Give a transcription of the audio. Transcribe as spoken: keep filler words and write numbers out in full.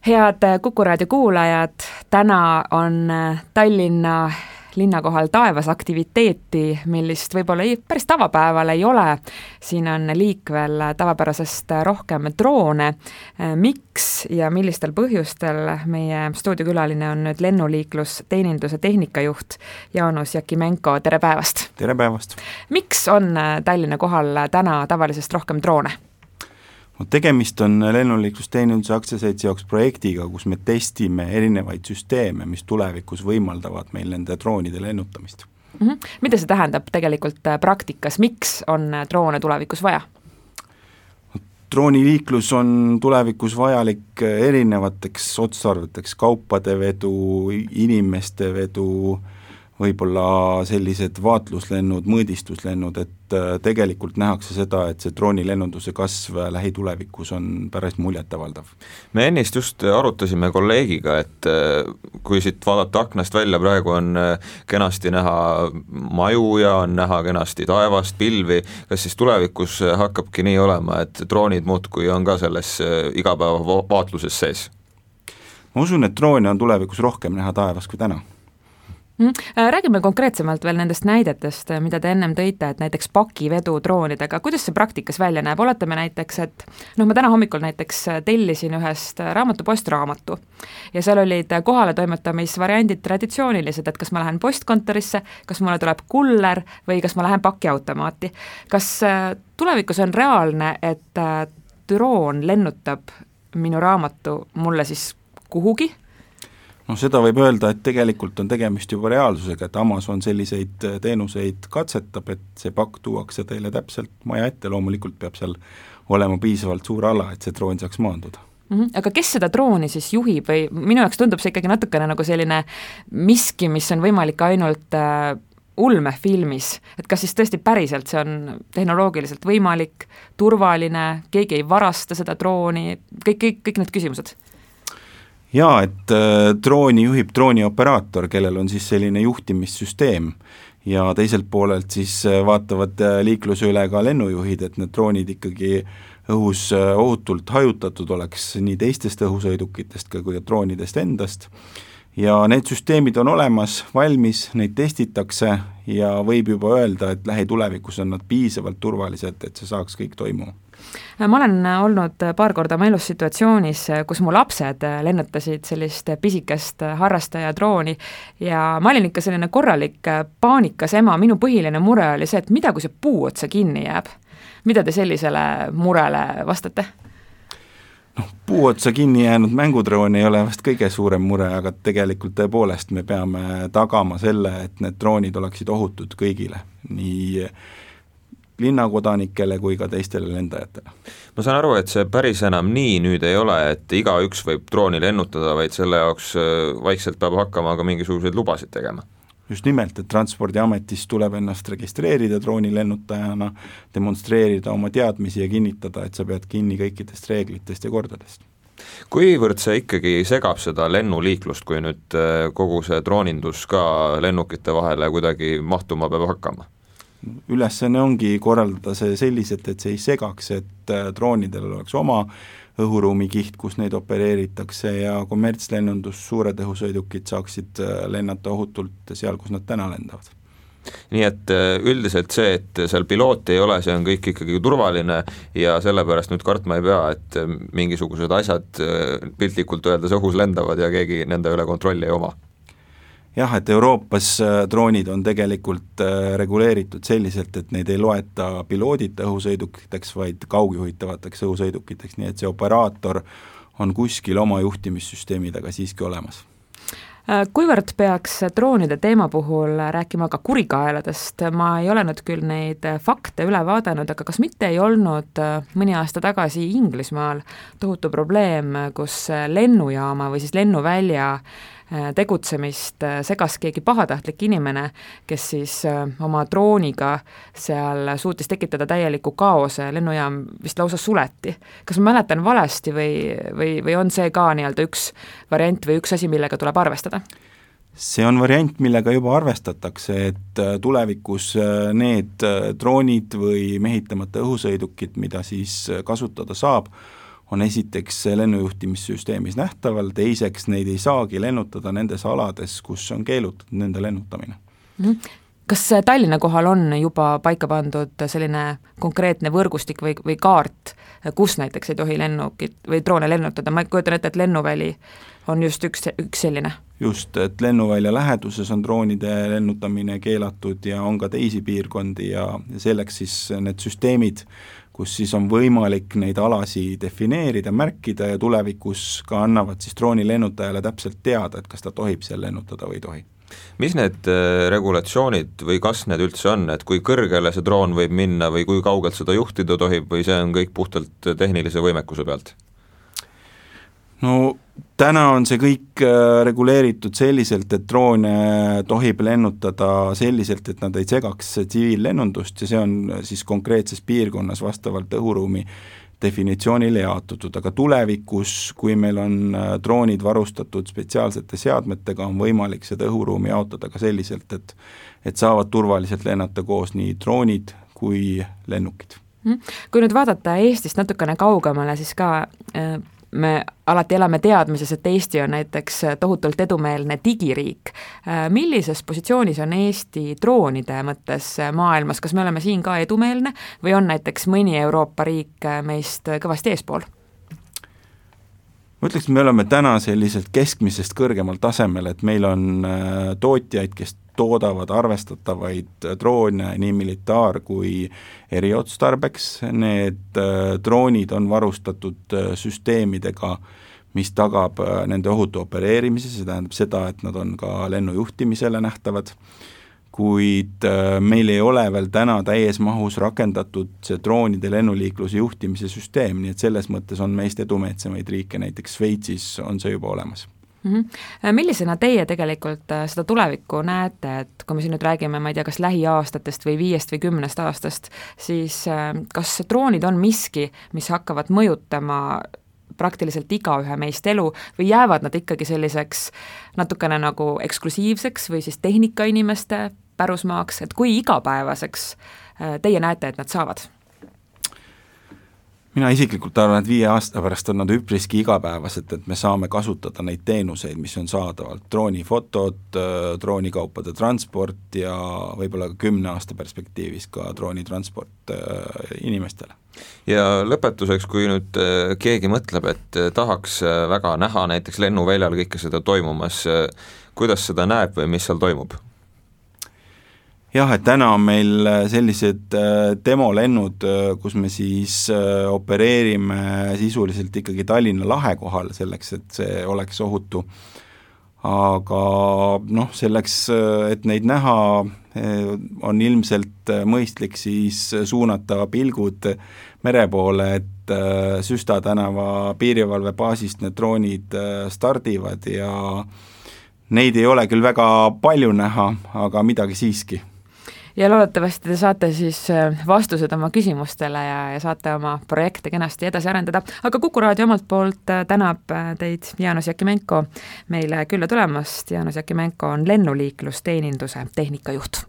Head Kuku Raadio kuulajad, täna on Tallinna linna kohal taevas aktiviteeti, millist võib-olla ei, päris tavapäeval ei ole. Siin on liikvel tavapärasest rohkem droone. Miks ja millistel põhjustel meie stuudiokülaline on nüüd lennuliiklus teeninduse tehnikajuht Jaanus Jakimenko, tere päevast! Tere päevast! Miks on Tallinna kohal täna tavalisest rohkem droone? No, tegemist on lennuliiklusteeninduse aktsiaseltsi jaoks projektiga, kus me testime erinevaid süsteeme, mis tulevikus võimaldavad meil nende droonide lennutamist. Mm-hmm. Mida see tähendab tegelikult praktikas? Miks on droone tulevikus vaja? Drooniliiklus on tulevikus vajalik erinevateks otstarveteks, kaupade vedu, inimeste vedu, võib-olla sellised vaatluslennud, mõõdistuslennud, et tegelikult nähakse seda, et see droonilennunduse kasv lähitulevikus on päris muljetavaldav. Me ennist just arutasime kolleegiga, et kui siit vaadata aknast välja, praegu on kenasti näha maju ja on näha kenasti taevast, pilvi, kas siis tulevikus hakkabki nii olema, et droonid muudkui on ka selles igapäeva vaatluses sees? Ma usun, et droone on tulevikus rohkem näha taevas kui täna. Räägime konkreetsemalt veel nendest näidetest, mida te ennem tõite, et näiteks pakivedu droonidega, kuidas see praktikas välja näeb? Oletame näiteks, et noh, ma täna hommikul näiteks tellisin ühest raamatupost raamatu ja seal olid kohale toimetamisvariandid traditsioonilised, et kas ma lähen postkontorisse, kas mulle tuleb kuller või kas ma lähen pakiautomaati. Kas tulevikus on reaalne, et droon lennutab minu raamatu mulle siis kuhugi? No seda võib öelda, et tegelikult on tegemist juba reaalsusega, et Amazon selliseid teenuseid katsetab, et see pakk tuuakse teile täpselt maja ette, loomulikult peab seal olema piisavalt suur ala, et see droon saaks maanduda. Mm-hmm. Aga kes seda drooni siis juhib või minu jaoks tundub see ikkagi natukene nagu selline miski, mis on võimalik ainult äh, ulmefilmis, et kas siis tõesti päriselt see on tehnoloogiliselt võimalik, turvaline, keegi ei varasta seda drooni, kõik, kõik, kõik need küsimused? Jaa, et äh, drooni juhib droonioperaator, kellel on siis selline juhtimissüsteem ja teiselt poolelt siis äh, vaatavad äh, liikluse üle ka lennujuhid, et need droonid ikkagi õhus äh, ohutult hajutatud oleks nii teistest õhusõidukitest kui droonidest endast. Ja need süsteemid on olemas, valmis, neid testitakse ja võib juba öelda, et lähitulevikus on nad piisavalt turvalised, et see saaks kõik toimuma. Ma olen olnud paar korda oma elus situatsioonis, kus mu lapsed lennutasid sellist pisikest harrastaja drooni ja ma olin ikka selline korralik paanikas ema, minu põhiline mure oli see, et mida kui see puu otsa kinni jääb? Mida te sellisele murele vastate? No, puu otsa kinni jäänud mängudroon ei ole vast kõige suurem mure, aga tegelikult tõepoolest me peame tagama selle, et need droonid oleksid ohutud kõigile, nii linnakodanikele kui ka teistele lendajatele. Ma saan aru, et see päris enam nii nüüd ei ole, et igaüks võib drooni lennutada, vaid selle jaoks vaikselt peab hakkama ka mingisuguseid lubasid tegema. Just nimelt, et Transpordiametis tuleb ennast registreerida drooni lennutajana, demonstreerida oma teadmisi ja kinnitada, et sa pead kinni kõikidest reeglitest ja kordadest. Kuivõrd see ikkagi segab seda lennuliiklust, kui nüüd kogu see droonindus ka lennukite vahele kuidagi mahtuma peab hakkama? Ülesanne ongi korraldada see selliselt, et see ei segaks, et droonidel oleks oma õhuruumi kiht, kus neid opereeritakse ja kommertslennundus, suured õhusõidukid saaksid lennata ohutult seal, kus nad täna lendavad. Nii et üldiselt see, et seal pilooti ei ole, see on kõik ikkagi turvaline ja sellepärast nüüd kartma ei pea, et mingisugused asjad piltlikult öeldes õhus lendavad ja keegi nende üle kontrolli ei oma. Jah, et Euroopas droonid on tegelikult reguleeritud selliselt, et neid ei loeta piloodita õhusõidukiteks, vaid kaugjuhitavateks õhusõidukiteks, nii et see operaator on kuskil oma juhtimissüsteemidega siiski olemas. Kuivõrd peaks droonide teema puhul rääkima ka kurikaeladest? Ma ei ole nüüd küll neid fakte üle vaadanud, aga kas mitte ei olnud mõni aasta tagasi Inglismaal tohutu probleem, kus lennujaama või siis lennuvälja tegutsemist segas keegi pahatahtlik inimene, kes siis oma drooniga seal suutis tekitada täieliku kaose, lennujaam vist lausa suleti. Kas ma mäletan valesti või, või, või on see ka nii-öelda üks variant või üks asi, millega tuleb arvestada? See on variant, millega juba arvestatakse, et tulevikus need droonid või mehitamata õhusõidukid, mida siis kasutada saab, on esiteks lennujuhtimissüsteemis nähtaval, teiseks neid ei saagi lennutada nendes alades, kus on keelutatud nende lennutamine. Kas Tallinna kohal on juba paika pandud selline konkreetne võrgustik või, või kaart, kus näiteks ei tohi lennukit või droone lennutada? Ma kujutan ette, et lennuväli on just üks, üks selline. Just, et lennuvälja läheduses on droonide lennutamine keelatud ja on ka teisi piirkondi ja selleks siis need süsteemid, kus siis on võimalik neid alasi defineerida, märkida ja tulevikus ka annavad siis drooni lennutajale täpselt teada, et kas ta tohib seal lennutada või ei tohi. Mis need regulatsioonid või kas need üldse on, et kui kõrgele see droon võib minna või kui kaugelt seda juhtida tohib või see on kõik puhtalt tehnilise võimekuse pealt? No täna on see kõik reguleeritud selliselt, et droone tohib lennutada selliselt, et nad ei segaks tsiviillennundust ja see on siis konkreetses piirkonnas vastavalt õhuruumi definitsioonile jaotatud, aga tulevikus, kui meil on droonid varustatud spetsiaalsete seadmetega, on võimalik seda õhuruumi jaotada ka selliselt, et, et saavad turvaliselt lennata koos nii droonid kui lennukid. Kui nüüd vaadata Eestist natukene kaugemale, siis ka me alati elame teadmises, et Eesti on näiteks tohutult edumeelne digiriik. Millises positsioonis on Eesti droonide mõttes maailmas? Kas me oleme siin ka edumeelne või on näiteks mõni Euroopa riik meist kõvasti eespool? Ma ütleks, et me oleme täna selliselt keskmisest kõrgemal tasemel, et meil on tootjaid, kes toodavad arvestatavaid droone nii militaar- kui eriotstarbeks. Need droonid on varustatud süsteemidega, mis tagab nende ohutu opereerimise, see tähendab seda, et nad on ka lennujuhtimisele nähtavad, kuid meil ei ole veel täna täies mahus rakendatud see droonide lennuliikluse juhtimise süsteem, nii et selles mõttes on meist edumeetsemaid riike, näiteks Šveitsis on see juba olemas. Mm-hmm. Millisena teie tegelikult seda tulevikku näete, et kui me siin nüüd räägime, ma ei tea, kas lähiaastatest või viiest või kümnest aastast, siis kas droonid on miski, mis hakkavad mõjutama praktiliselt igaühe meist elu või jäävad nad ikkagi selliseks natukene nagu eksklusiivseks või siis tehnikainimeste pärusmaaks, et kui igapäevaseks teie näete, et nad saavad? Mina isiklikult arvan, et viie aasta pärast on nad üpriski igapäevased, et me saame kasutada neid teenuseid, mis on saadavalt, droonifotod, droonikaupade transport ja võib-olla ka kümne aasta perspektiivis ka droonitransport inimestele. Ja lõpetuseks, kui nüüd keegi mõtleb, et tahaks väga näha näiteks lennuväljal kõike seda toimumas, kuidas seda näeb või mis seal toimub? Jah, et täna on meil sellised demolennud, kus me siis opereerime sisuliselt ikkagi Tallinna lahe kohal selleks, et see oleks ohutu. Aga noh, selleks, et neid näha, on ilmselt mõistlik siis suunata pilgud mere poole, et Süsta tänava piirivalvebaasist need droonid stardivad ja neid ei ole küll väga palju näha, aga midagi siiski. Ja loodetavasti te saate siis vastused oma küsimustele ja, ja saate oma projekte kenasti edasi arendada. Aga Kuku Raadio omalt poolt tänab teid Jaanus Jakimenko meile külla tulemast. Jaanus Jakimenko on lennuliiklusteeninduse tehnikajuht.